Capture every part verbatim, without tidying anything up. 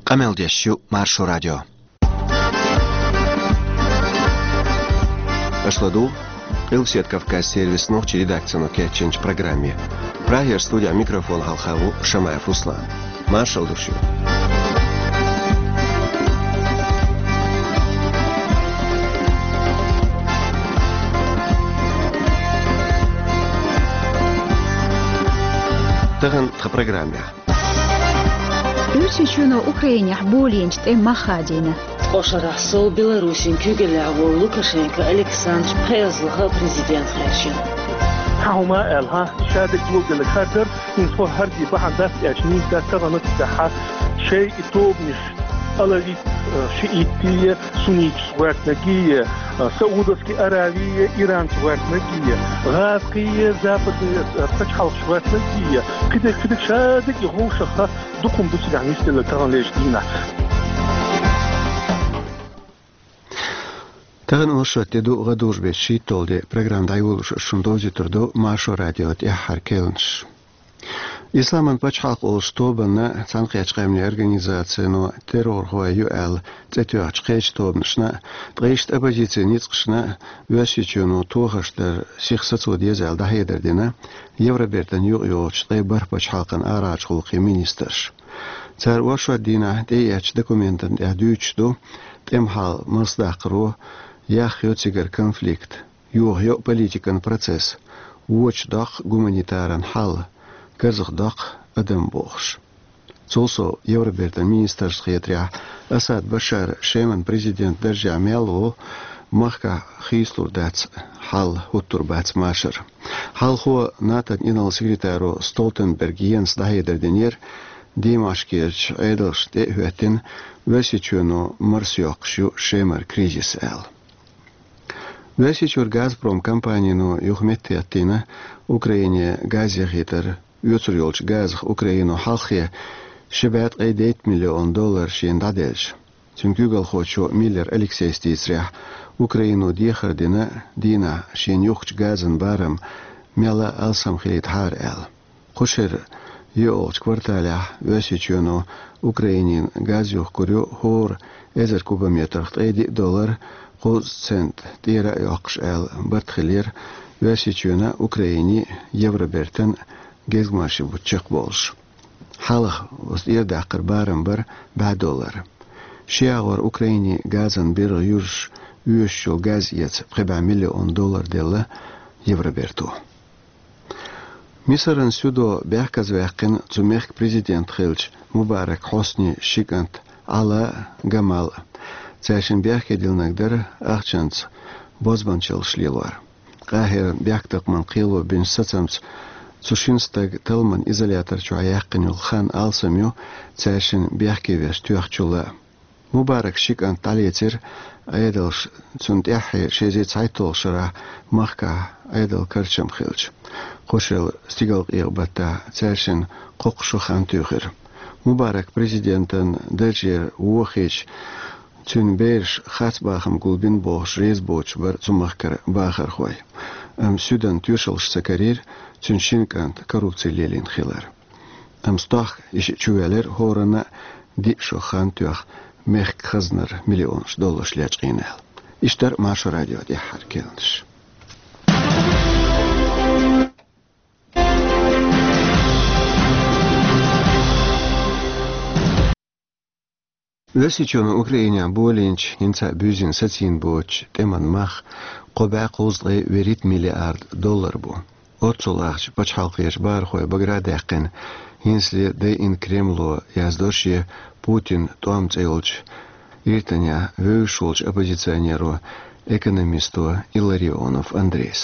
Къамел деш ю Маршо радио. Аша ладугӀу Къилбаседа Кавказан сервисан нохчийн редакцино кечйинчу программе. Прагера студехь микрофон хьалха ву Шамаев Руслан. Маршалла ду шуьга. Тахана тхан программехь. Оьрсийчоьно Украинехь болийначу тӀеман мах хадийна. Ткъа шарахь сов Беларусин куьйгаллехь волу Лукашенко Александр пхеазлаха президент хаьржина. Цхьа хӀума а аьлла, хьан, ша дерг луъделларг хӀара дара, хӀинца хӀара де бахьана дац аьлча, нийса дац тахана цигахь шайн и тобанаш, алавит, э, шиитти, сунниташ гӀоьртинаргий, э, Саудовский Аравий, Иран гӀоьртинаргий, гӀазкхий, западный, э, пачхьалкхаш гӀоьртинаргий, кхидерг, кхидерг ша дерг и вовшахха дукха хӀума ду цигахь нисделла тахана лечу дийнахь. Тахана оршот де ду, гӀадужу беттан шийтталгӀа де. Программа дӀайолош аса шуна довзуьйтур ду Маршо радион тӀаьххьара керланаш. Исламан пачхьалкх олучу тобанна, Цхьаьнакхеттачу Къаьмнийн Организацино террорхой ю аьлла цӀе тоьхначу кхечу тобанашна, ткъа иштта оппозицин ницкъашна Оьрсийчоьно тохарш дар сиха сацо деза аьлла дӀахьедар дина Евробертан юкъайогӀучу ткъе бархӀ пачхьалкхан арахьарчу гӀуллакхийн министраша. Цара оршот дийнахь тӀеэцначу документана тӀехь дуьйцуш ду, тӀеман хьал марсадаккхаро, яхйо цигара конфликт, йохайо политикан процесс, вочу доккху гуманитаран хьал, карзахдоккху адам бохуш. Цул сов, Евробертан министрашна хетарехь, Асад Башар Шеман президент даржехь мел ву, махкахь хийцалур дац хьал, хӀуттур бац машар. Хьалхо НАТОн инарла секретаро Столтенберг Йенса дӀахьедар динера, Димашкерчу Ӏедалшна тӀе а хӀоьттина, Оьрсийчоьно марсайоккхуш ю Шемара кризис аьлла. Оьрсийчуьра Газпром компанино юха меттахӀиттийна Украине газ яхийтар. Оьцур йолчу газах Украино хьалххе ши бӀе ткъе дейтта миллион доллар шена дӀаделча, цуьнан куьйгалхочо Миллер Алексейс дийцарехь, Украино дехар дина, дийнахь шена юхкучу газан барам мелла а алсам хилийтахьара аьлла. Кху шеран йоьалгӀачу кварталехь Оьрсийчоьно Украинина газ юхкур ю хӀора эзар кубометрах ткъе диъ доллар, кхузткъа цент тӀера а йоккхуш аьлла барт хилира Оьрсийчоьнан, Украинин, Евробертан гезгмашин бутт чекхболуш. Хьалха оцу тӀера даккхар барам бара бӀе доллар. Ши агӀор Украине газан биргӀа юьржаш оьшуш йолу газ эца пхи бӀе миллион доллар делла Евроберто. Мисаран суьдо бехказаваьккхина цу мехкан президент хиллачу Мубарак Хьоснин ши кӀант Ӏала а, Гамал а. Цаьршинна бехке диллинарг дара ахчанца бозбуанчаллаш лелор. Къахьиран бехктакхаман кхело бинчу сацамца цу шина стага талламан изолятор чохь яьккхина йолу хан алсам ю, цаьршинна бехке веш тоьхначул а. Мубарак ши кӀант дӀалецира Ӏедалша, цунна тӀаьххье ши эзар цхьайтталгӀачу шарахь махкахь Ӏедалан карчам хилча. Кху шеран стигалкъекъа баттахь цаьршинна кхоккха шо хан туьйхира. Мубарак президентан даржера вохийча, цуьнан бераш харц бахам гулбина бохуш реза боцуш бара цу махкара бахархой. Амма суьдан тоьшаллаш ца карийра, цуьнан шина кӀанта коррупци лелийна хилар. Амма стохка и шиъ чувоьллира хӀоранна а диъ шо хан тоьхна, мехкан хазнара миллионаш долларш лечкъийна аьлла. Иштта дара Маршо радион тӀаьххьара керланаш. Оьрсийчоьно Украинехь болийначу, хӀинца а буьззина сацийна боцучу тӀеман мах кхо бӀе кхузткъе вуьрхӀитта миллиард доллар бу. Оццул ахча пачхьалкхерчу бахархойн багара даьккхина, хӀинцале дайина Кремло, яздо шен Путин тӀом цӀе йолчу иртанехь вевзаш волчу оппозиционеро, экономисто Илларионов Андрейс.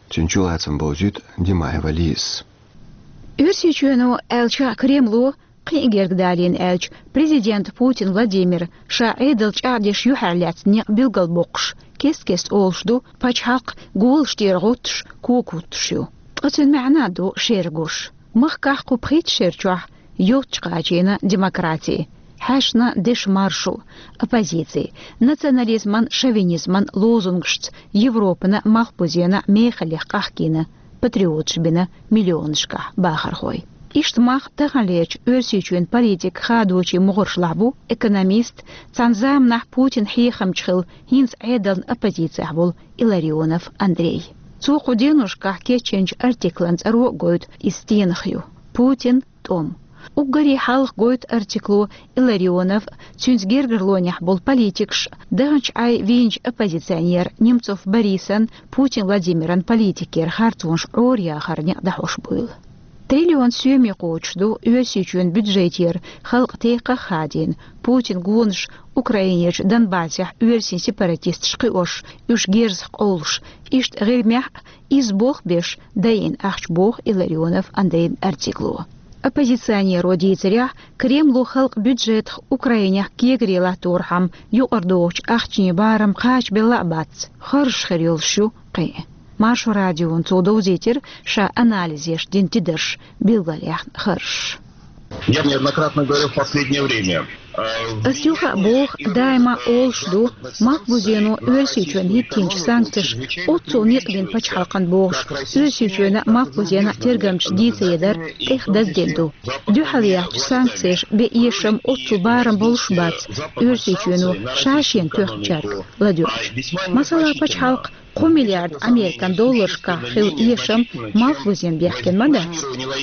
Цуьнан чулацам бовзуьйту Димаева Лизас. Оьрсийчоьно, аьлча а, Кремло, кхин а гергга далийна аьлча, президент Путин Владимир ша Ӏедал чӀагӀдеш юьхьарлаьцна некъ билгалбоккхуш, кест-кеста олуш ду, пачхьалкх голаш тӀера гӀуттуш, кога хӀуттуш ю. Ткъа цуьнан маьӀна а ду шеран гуш. Махкахь кху пхийтта шера чохь йоццуш кхачийна демократи, хьаьшна дешан маршо, оппозици, национализман, шовинизман лозунгашца Европана, малхбузена мехаллех къахкийна патриоташ бина миллионашкахь бахархой. Иштта мах таханлерчу Оьрсийчоьнан политикан хадочийн могӀаршлахь бу экономист, цхьана заманахь Путинан хьехамча хилла, хӀинца Ӏедална оппозицехь волу Илларионов Андрей. Цо кху деношкахь кечйинчу артиклан цӀаро а гойту иза стенах ю: «Путин, тӀом». Уггаре хьалха гойту артикло Илларионов, цуьнца гергарлонехь болу политикаш, даханчу Ӏай вийначу оппозиционер Немцов Борисан, Путин Владимиран политикера харцонаш Ӏораяхаран некъ дӀахьош буйла. Триллион соьме кхочуш ду Оьрсийчоьнан бюджетера халкъан текхах а хадийна, Путинан гонаш Украинерчу Донбассехь оьрсийн сепаратисташ кхиош, уьш герзах къовлуш, иштта ГӀирмехь а изза болх беш дайина ахча, боху Илларионов Андрейн артикло. Оппозиционеро дийцарехь, Кремло халкъан бюджетах Украинехь кегаре латторхьама юкъара догӀучу ахчанийн барам кхачабелла а бац, харжаш хир йолуш ю кхин. Маршо радиона цо довзийтира ша анализ еш дина тидарш билгалъяьхна харжаш. Я неоднократно говорил в последнее время. Ас юха а боху, даима олуш ду, Малхбузено Оьрсийчоьнна хӀиттийначу санкцеша оццул некъ бина пачхьалкхана бохуш, Оьрсийчоьнан а, Малхбузенан а тергамчаша дийца едар тӀех даздина ду. Дуьхьал яьхначу санкцеша бен эшам оццул барам болуш бац, Оьрсийчоьно ша шена тоьхначаьрга ладоьгӀча. Масала, пачхьалкх кхо миллиард Американ долларшкахь хилла эшам Малхбузен бехкина ма дац.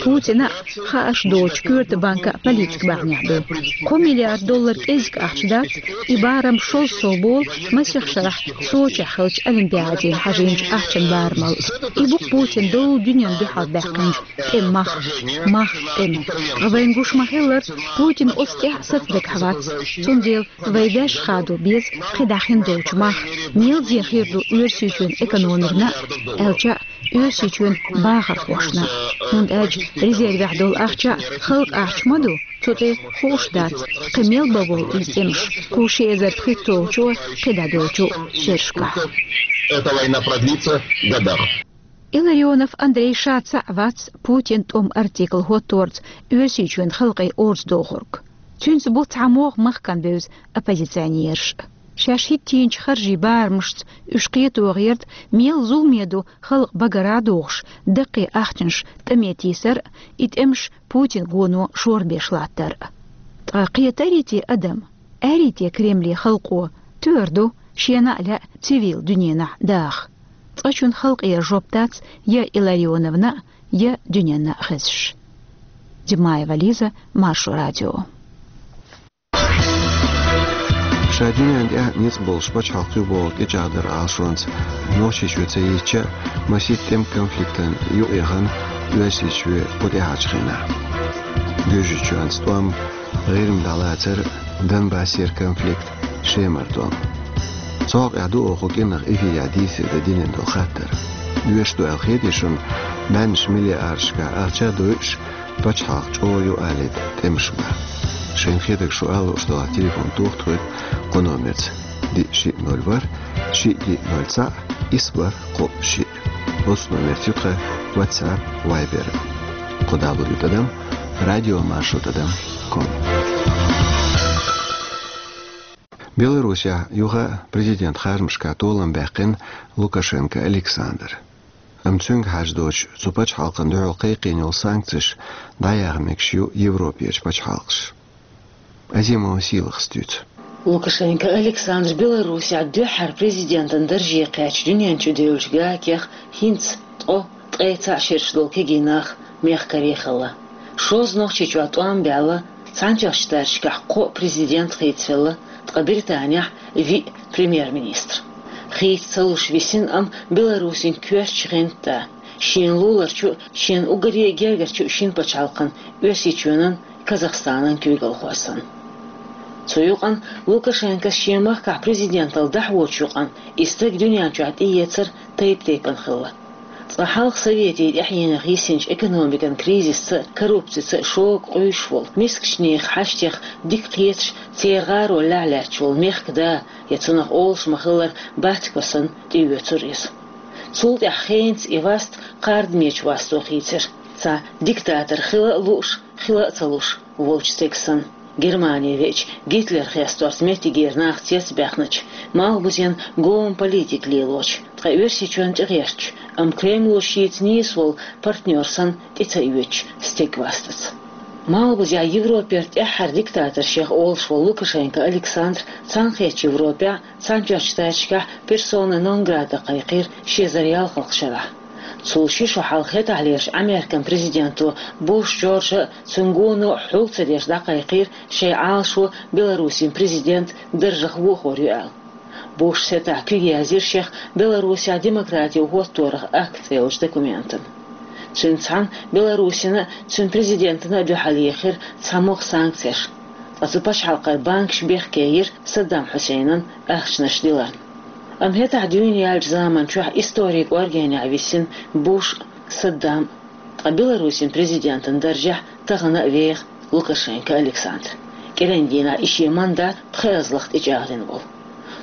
Путина а, хаарш доцучу коьрта банка а политика бахьанехь ду. Кхо миллиард доллар кӀезиг ахча дац, и барам шозза сов болу масех шарахь Сочехь хиллачу Олимпиаде хьажийначу ахчан барамал. И бу Путина долу дуьненна дуьхьал баьккхинчу тӀеман мах, мах тӀеман. Ткъа вайна гуш ма-хиллара, Путин оцу тӀехь сацадагахь вац. Цундела вай ваьш хадо беза кхидӀа хин долчу мах. Мелзе хир ду Оьрсийчоьнан экономикана а, аьлча а, Оьрсийчоьнан бахархошна а. ХӀунда аьлча резервехь долу ахча а халкъан ахча ма ду, цу тӀе хууш дац, кхин мел бан волу иза тӀемаш, кху ши эзар пхийтталгӀачу, кхидӀа долчу шерашкахь. Эта война продлится годах. Илларионов Андрей ша цхьаъ вац Путинан тӀом артикл хӀотторца Оьрсийчоьнан халкъе орца дохург. Цуьнца бу цхьа могӀа махкана бевза оппозиционераш. Шаьш хӀиттийначу харжийн барамашца уьш кхето гӀерта, мел зуламе ду халкъ багара а дохуш, даккхий ахчанаш тӀаме тийсар а, и тӀемаш Путинан гоно шорбеш латтар а. Ткъа кхетарий те адам, арий те Кремле халкъо, тоьар ду шена а лаьа цивил дуьненахь даха? Цкъачунна халкъера жоп дац я Илларионовна а, я дуьненна а хезаш. Димаева Лиза, Маршо радио. Ша дуьненна тӀехь ницкъ болуш пачхьалкх ю бохург тӀечӀагӀдар Ӏалашонца Нохчийчоь ца йитча а, масийтта тӀеман конфликтана юкъаяхана Оьрсийчоь кху тӀаьхьарчу хенахь. Гуьржийчоьнца тӀом, ГӀирма дӀалацар, Донбассера конфликт, Шемара тӀом. Цу хьокъехь ду оха кху кӀирнах эфирехь дийцаре дан динан долу хаттар. Оьшуш ду аьлла хетий шуна, бӀеннаш миллиардашкахь ахча а дойуш, пачхьалкх чӀогӀа ю алийта тӀемаш бан? Шайна хетарг шу ала лууш делахь, телефон тоха тхоьга кху номерца: диъ, шиъ, ноль, ворхӀ, шиъ, диъ, ноль, цхьаъ, исс, бархӀ, кхоъ, шиъ. Оцу номерца ю тхан WhatsApp, Viber. Кху далур ю тӀадам радиомаршо тӀадам ком. Беларусехь юха а президентан харжамашкахь толам баьккхина Лукашенко Александр. Амма цуьнга хьажа доцуш, цу пачхьалкхана дуьхьал кхайкхийна йолу санкцеш дӀаяха мегаш ю Европерчу пачхьалкхаша. Азимова Сийлахас дуьйцу. Лукашенко Александр Беларусехь дуьххьара президентан дарже кхаьчча дуьнен чу девллачу гакех хӀинца ткъо, ткъе цхьаъ шераш долу кегий нах мехкарий хилла. Шозза Нохчийчохь тӀом баьлла, цхьаьнатоьхначу даржашкахь кхоъ президент хийцавелла, ткъа Британехь виъ премьер-министр. Хийца ца луш висина, амма Беларусин коьртачу гӀанта, шена луларчу а, шена уггаре а гергарчу а шина пачхьалкхана, Оьрсийчоьнан, Казахстанан куьйгалхой санна. Цу юкъана Лукашенкос шен махкахь президенталла дӀахьочу юкъана и стаг дуьнен чохь тӀеэцар тайп-тайпана хилла. Цкъа хьалха Советийн тӀаьхьенах йисинчу экономикан кризисца а, коррупцица а шога къуьйсуш волу, мискачу нехан хьаштех дика кхеташ, церан гӀаро лаьхьа лаьтташ волу мехкан да, я цунах олуш ма-хиллара бацко санна, тӀеоьцура иза. Цул тӀаьхьа хенца и васт кхардамечу васто хийцира, цхьа диктатор хила а лууш, хила а ца луш волчу стеган санна. Германе веача, Гитлер хесторца меттигера нах цецбаьхначу, малхбузен гома политика лелочу, кхы Оьрсийчоьнна тӀегӀертача, амма Кремло шийца нийса волу партнер санна тӀе ца оьцуш стегга вастац. Малхбузехь Европера тӀаьххьара диктатор шех олуш волу Лукашенко Александр Цхьаьнакхеттачу Европехь, Цхьаьнатоьхначу Штаташкахь персона нон грата кхайкхийра ши эзар ялхалгӀачу шарахь. Цул ши шо хьалха хӀетахьлерчу Американ президенто Буш Джорджа а, цуьнан гоно а хьул ца деш дӀакхайкхийра шайн Ӏалашо Беларусин президент даржах вохор ю аьлла. Бушас хӀетахь куьг язйира шех Беларусехь демократио хӀотторах акт цӀе йолчу документана. Цуьнца цхьаьна Беларусина а, цуьнан президентана а дуьхьал ехира цхьа могӀа санкцеш, ткъа цу пачхьалкхера банкаш бехке йира Саддам Хьусейнан ахчанаш диларна. Амма хӀетахь дуьйна яьллачу заман чохь историн кӀоргенехь висина Буш а, Саддам а, ткъа Беларусин президентан даржехь тахана а веха Лукашенко Александр, кӀиран дийнахь и шен мандат пхи эзалах тӀечӀагӀдина волу.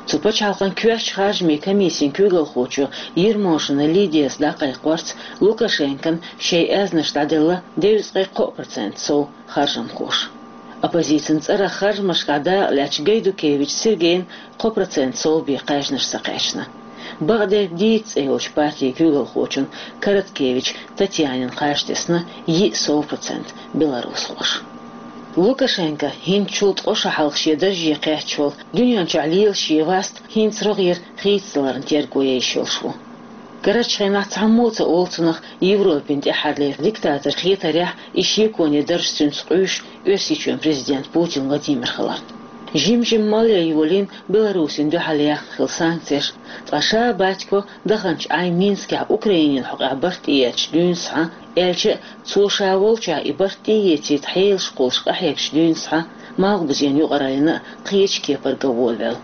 Цу пачхьалкхан коьртачу харжамийн комиссин куьйгалхочо Ермошина Лидияс дӀакхайкхорца, Лукашенкона шайн аьзнаш дӀаделла девзткъе кхоъ процент сов харжамхоша. Оппозицин цӀарах харжамашкахь дакъалаьцначу Гайдукевич Сергейна кхо процент сов бен кхаьжнаш ца кхаьчна. Бакъдерг дийца цӀе йолчу партин куьйгалхочун Короткевич Татьянин кхаж тесна йиъ сов процент беларусхоша. Лукашенко хӀинцачул ткъа шо хьалха шен дарже кхаьчча волу дуьнен чохь лела шен васт хӀинца рогӀера хийцадаларна терго еш йолуш ву. Карарчу хенахь цхьаммо а ца олу цунах Европин тӀаьххьарлера диктатор хетарехь, и шеконе дарж цуьнца къуьйсуш Оьрсийчоьнан президент Путин Владимир хиларна. Жим-жимма малъян йолийна Беларусина дуьхьал яьхна хилла санкцеш, ткъа ша Батько даханчу Ӏай Минскехь Украинин хьокъехь барт тӀеэцначу дуьйна схьа, аьлча а, цо ша волчохь и барт тӀеэцийта хьелаш кхуллуш къахьегначу дуьйна схьа, Малхбузен юкъараллина а кхечу кепара ган волавелла.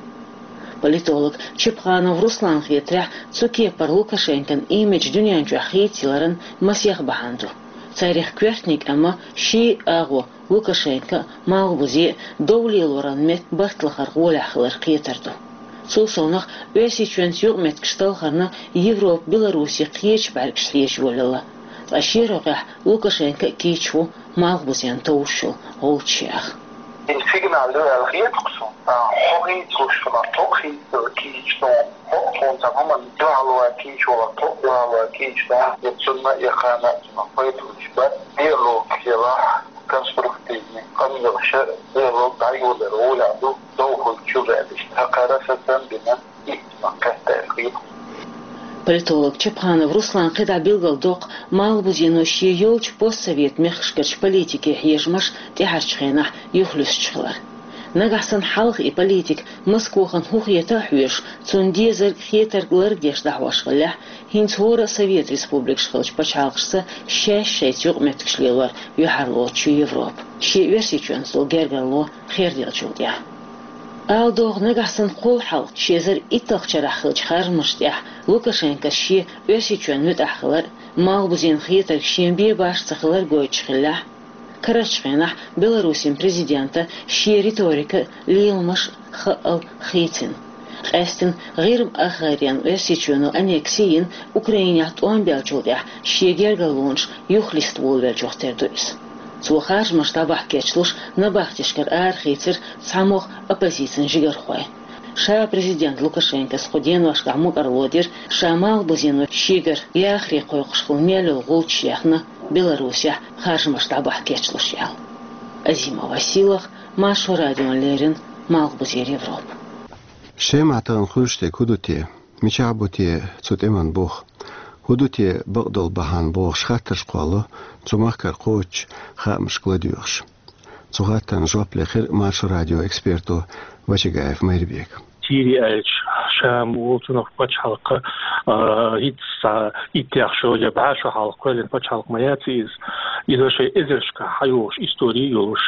Политолог Чепханов Русланна хетарехь, цу кепара Лукашенкон имидж дуьнен чохь хийцаяларан масех бахьана ду. Царех коьртаниг, амма ший агӀо Лукашенко а, Малхбузе а дов лелоран метта барт лахар гӀолехь хилар кхетар ду. Цул совнах, Оьрсийчоьнца юкъаметтигаш талхарна Европа Беларусе кхечу бӀаьргашца хьежа йолаелла. Ткъа шен рогӀехь Лукашенко а кийча ву Малхбузен товш йолу гӀулчаш яха. Сигнал ду аьлла хета-кх суна. Хьо хийцалуш хилар, тхо а хийцалуш кийча ду. Хьо а тхуна цхьа хӀуманна дуьхьал ван кийча валар, тхо а дуьхьал ван кийча ду. Я цунна а, я кхана а цунах пайда луш бац. Диалог елахь, конструктивный къамелаш а, диалог дӀайолор гӀолехь ду, дов хуьлучу ваьллаш. Цхьа кхара сацам бина, итт ма кхетта аьлла хета. Политолог Чепханов Руслан кхидӀа билгалдоккху, Малхбузено шен йолчу постсовет мехкашкарчу политике хьежамаш тӀаьхьарчу хенахь юхалуьстуш хилар. Нагахь санна хьалха и политика Москвахана хӀун хета а хьоьжуш, цунна дезарг, хетарг лардеш дӀахьош хиллехь, хӀинца хӀора а Совет республикаш хиллачу пачхьалкхашца шаьш шайца юкъаметтигаш лелор юьхьарлоцуш ю Европа, шен Оьрсийчоьнца долу гергарло херделлачул тӀаьхьа. Ала догӀу, нагахь санна кхул хьалха, ши эзар итталгӀачу шарахь хиллачу харжамашна тӀехь Лукашенкос шен Оьрсийчоьнна муьтӀахь хилар а, Малхбузен хетарг шен бен баш ца хилар гойтуш хиллехь, карарчу хенахь Беларусин президента шен риторика а, леламаш а хаъал хийцина. Къаьстина ГӀирма-Ахарен Оьрсийчоьно аннекси йина Украинехь тӀом беллачул тӀаьхьа шен гергарлонаш юхалиста волавеллачух тера ду иза. Цо харжамаш дӀабахьа кечлуш, набахтешкара арахийцира цхьа могӀа оппозицин жигархой. Ша президент Лукашенкос кху деношкахь мукӀарло дира, ша Малхбузено шегара яхаре кхойкхуш хилла мел йолу гӀулчаш яьхна Беларусехь харжамаш дӀабахьа кечлуш аьлла. Азима Василах, Маршо радиона леррина, Малхбузера Европа. Шемахь тахана хуьлуш дерг хӀун ду те? Мичахь бу те цу тӀеман бух? ХӀун ду те бакъдолу бахьана бохуш хаттарш кхолло цу махкара кхочучу хаамашка ладоьгӀуш. Цу хаттарна жоп лехира Маршо радион эксперто Вачагаев Майрбека. Сири аьлча, Шам волчунах пачхьалкх, а, хӀинца иттех шо я бӀе шо хьалха кхоьллина пачхьалкх ма яц иза. Иза шайн эзаршкахь хьайогӀуш истори йолуш,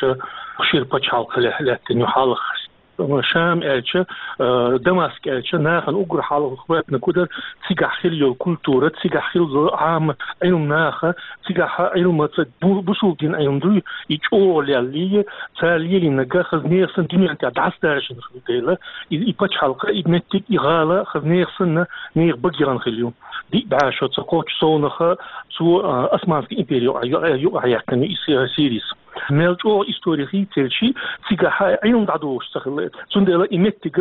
шира пачхьалкх лаьттина ю хьалха. Шам аьлча, а, Дамаск аьлча, нахана уггар хьалха хӀоьттина кудар, цигахь хилла йолу культура, цигахь хилла йолу Ӏамат, Ӏилма наха, цигахь Ӏилмаца бу-, бусулба дин Ӏилма дуй, и чӀогӀа леллий, цара лелийнарг хаза нехан санна дуьнен тӀехь дӀасадаржина хилла дела, и, и пачхьалкх, и меттиг, и гӀала хаза нехан санна нехан бага яхана хилла ю. Диъ бӀе шо ца кхоччу совнаха цо, а, Османский импери юкъа-, юкъа-, юкъахь яьккхина и Си-, Сирис. Мел чӀоагӀа истори хийцаелча, цигахьа Ӏилма дӀадохуш ца хилла. Цундела и меттиг,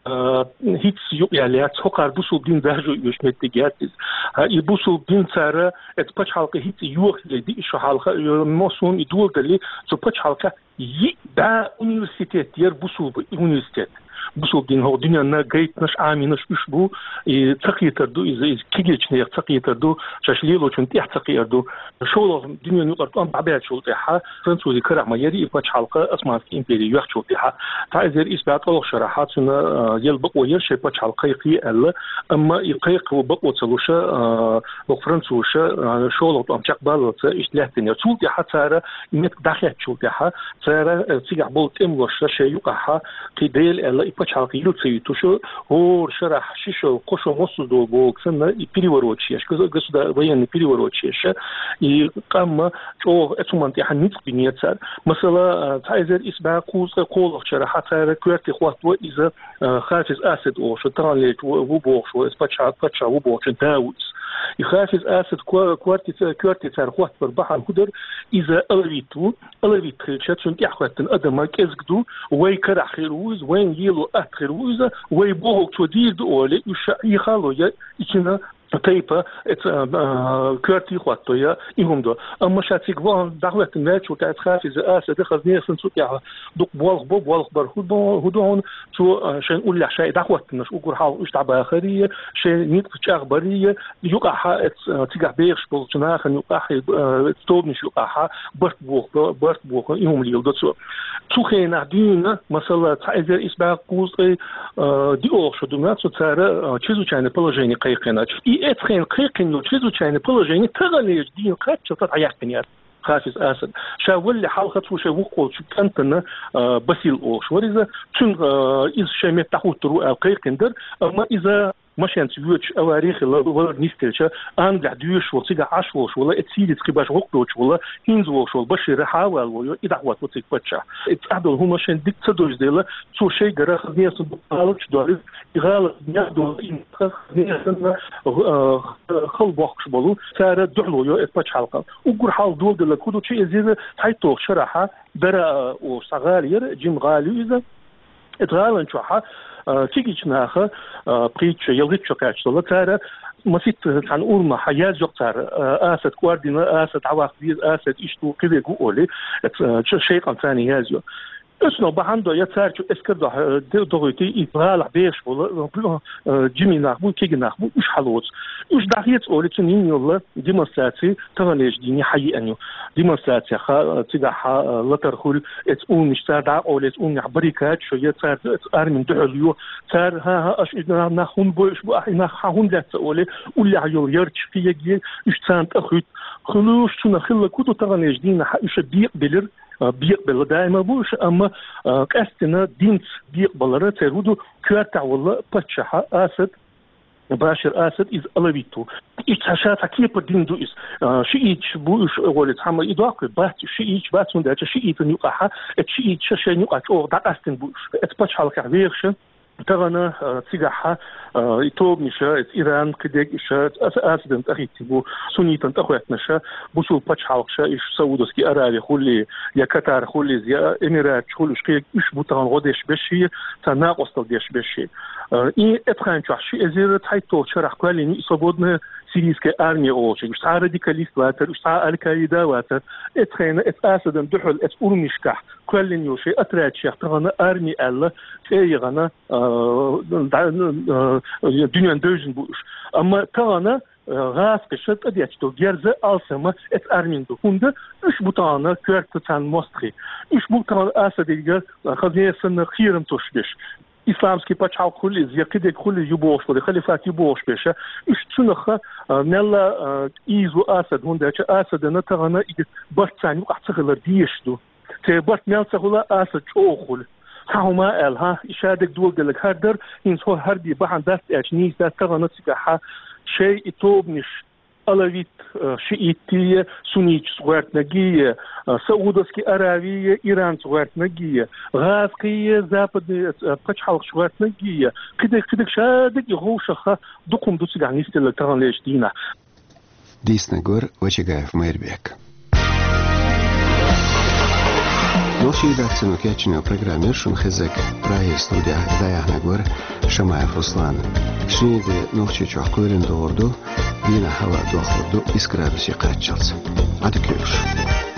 а, хӀинца юкъ яьлла яц, хӀокхара бусулба дин даржо йолуш меттиг яц иза. А, и бусулба дин цара, эцу пачхьалкхе хӀинца йохале диъ шо хьалха, э, массо а и доладале, цу пачхьалкхехь йиъ бӀе университет яра бусулба университет. Бусулба дин хӀокху дуьненна гайтанаш, Ӏамийнаш уьш бу, и ца кхетар ду иза, иза кегийчу нехан ца кхетар ду, шаьш лелочунна тӀехь ца кхиар ду. ШолгӀа дуьненан юкъара тӀом дӀабаьллачул тӀаьхьа французийн карахь ма яра и пачхьалкх, Османский импери йоьхначул тӀаьхьа. Цхьа эзар исс бӀе ткъолгӀа шарахь цуьнан, а, яла бакъо яра шайн пачхьалкх кхайкхае аьлла, амма и кхайкхо бакъо ца луш, а, хӀокху французаша, а, шолгӀа тӀом чекхбаллалц иштта лаьттина яра. Цул тӀаьхьа цара и меттиг дӀахецначул тӀаьхьа, цара, э, цигахь болу тӀемалошна шайн юкъахьа кхин дела аьлла, и пачхьалкх йила ца юьтуш, хӀора шарахь ши шо, кхо шо массо а долу бохург санна, и перевороташ еш, госу-, государ-, военный перевороташ еш, и къам чӀогӀа эцу хӀуманна тӀехь ницкъ бинера цара. Масала, а, цхьа эзар исс бӀе кхузткъе кхоалгӀачу шарахь цара коьрте хӀотто иза, а, Хафиз Асад олуш, таханлерчу ву, ву бохуш ву, эцу пачхьа-, пачхьа ву бохучун да ву иза. И Хафиз Асад ко-, коьрте ца-, коьрте цара хӀоттабар бахьана хӀун дара, иза алавит ву, алавит хилча, цунна тӀаьхьахӀоьттина адам кӀезиг ду, вай карахь хир ву иза, вайна лело атта хир ву иза, вай бохург цо дийр ду олий, уьш ша Ӏехало я, и цуьнан тайпа, эца, а, коьрте хӀотто я, и хӀума до. Амма ша цига вахана дӀахӀоьттина ваьллачул тӀаьхьа эца Хафиз Асада хазне санна цу тӀехь дукха болх бо, болх бар хӀу до, хӀу до хьуна, цо, а, шайн уллехь шайн дӀахӀоттинарш уггар хьалха уьш дӀабахарий, шайн ницкъ чӀагӀбарий, юкъахьа эц, а, цигахь бехаш болчу нахана юкъахь, а, тобанаш юкъахьа барт боху, барт боху, и хӀума леладо цо. Цу хенахь дуьйна, масала, цхьа эзар исс бӀе кхузткъе, а, диъолгӀа шо дуьйна цо цара, а, чрезвычайное положение кхайкхина. И эцу хенахь кхайкхина чрезвычайное положение таханлерчу дийна кхаччалц дӀаяьккхина яра Хафиз Асад. Ша валале хьалха цо шайн вукху волчу кӀантана, а, Басил олуш вара иза. Цуьнан, а, иза шайн метта дӀахӀуттур ву аьлла кхайкхина дара, амма иза машенца воьдуш авари хилла валар нисделча, Англехь доьшуш волу, цигахь Ӏаш волуш волу, эца Сирица кхин башха гӀуллакх доцуш волу, хӀинца волуш волу Башир хьаваьлла ву, и дӀахӀоттаво цига паччахь. И цхьадолу хӀума шайн дика ца дойзаделла, цо шайн гара хазне санна дукха гӀалаташ дойр, и гӀалат нах долу, и нах хазне санна, а, хала бохкуш болу, цара дуьхьало йо эца пачхьалкхана. Уггар хьалха доладелларг хӀун ду, чу эзира цхьайтталгӀачу шарахьа, Дара, а, олуш цхьа гӀала яра, жима гӀала ю иза. Эцу гӀалан чохьа, а, кегийчу наха, а, пхийтта шо, ялхитта шо кхаьчна долу, цара масийтта цхьана урамехьа язйо цара, а, Асад кӀордийна, Асад дӀаваккха веза, Асад иштта ву, кхин верг ву олий, эцу, а, чу шайн къам царна язйо. Оцунах бахьана дой, я цара чу эскар дохь-, а, де-, дохуьйтий, и гӀалахь бехаш болу, а, жимий нах бу, кегий нах бу, уьш хьалоцу. Уьш дӀахеца олий, цунна йина йолу демонстраци таханлерчу дийне хьаеана ю. Демонстрацехьа, цигахьа, латар хуьлу, эцу урамаш цара дӀакъовлу, эцу урамехь баррикадаш йо, цара эцу армина дуьхьал йо. Цара, хӀан-хӀа, аша и нах хӀунда бойуш бу, ахь и нах хьан хӀунда лаьцна олий, уллехь йолу ярташ кхин яге, уьш царна тӀе хуьтту. Хуьлуш цунах хилларг хӀун ду, таханлерчу дийнахьа уьш бекъабелира, а, бекъабелла даима бу уьш, амма, а, къаьстина динца бекъабалара церан хӀун ду, коьртехь волу паччахьа Асад, Башир Асад, иза алавит ву. Иза цхьа ша цхьа кепара дин ду иза. А, шииташ бу уьш, гӀоле цхьамма и доккхур бац, шииташ бац, хӀунда аьлча шиитан юкъахьа, эцу шииташа шайна юкъахь чӀогӀа дӀакъастина бу уьш. Эцу пачхьалкхехь вехаша, тахана, а, цигахьа, а, и тобанаш, эцу Иран, кхидерг уьш, аса-, Асадан тӀехӀиттина бу, суннитан тӀехӀоьттинаша, бусул пачхьалкхаша, уьш Саудовский Араби хуьлий, я Катар хуьлий, я Эмираташ хуьлий, уьш кхерг уьш бу тахана гӀо деш бешший, царна накъостал деш бешший. Э, и эцхайн чохь ши эзар цхьайтталгӀачу шарахь кхоьллина ю и свободная сирийская армия олучу. Уьш цхьа радикалист вацара, уьш цхьа Аль-Каида вацара. Эцхайна, эцу Асадан дуьхьал, эцу урмишкахь кхоьллина йолу шайн отрядчех тахана арми аьлла, цӀе яхана, э, да-, э, дуьнен девзина бу уьш. Амма тахана, э, гӀазкхаша тӀедетташ долу герза алсама эцу армин ду. ХӀунда уьш бу тахана коьрта царна мостагӀий. Уьш бу тахана Асадига, э, хазне санна кхерам тосуш беш. Исламский пачхьалкх хуьлу иза, я кхидерг хуьлу ю бохуш вара, халифат ю бохуш беша, уьш цунах, а, мелла, а, ийзо Асад, хӀунда аьлча Асадана тахана и барт царна юкъахь ца хилар дезаш ду. Церан барт мел ца хуьла, Асад чӀогӀа хуьлу. Цхьа хӀума аьлла, хӀа, и шадерг доладелларг хӀара дара, хӀинца хӀо хӀара бен бахьана дац аьлча, нийса дац тахана цигахьа шайн и тобанаш, алавит, э, шиитти, суннитчу гӀоьртинаргий, э, Саудовский Аравий, Иранца гӀоьртинаргий, гӀазкхий, западный, э, пачхьалкхаш гӀоьртинаргий, кхидерг, кхидерг шадерг и гӀовшаха дукха хӀума ду цигахь нисделла таханлерчу дийнахь. Дийцинарг вара Вачагаев Майрбек. Нохчийн редакцино кечйина программа яр шуна хезарг. Прагера студехь дӀаяьхьнарг вара Шамаев Руслан. Шинарин де Нохчийчохь кхоьлина догӀур ду, дийнахь хӀаваъ дохлур ду исс градусе кхаччалц. Ӏадика йойла шун.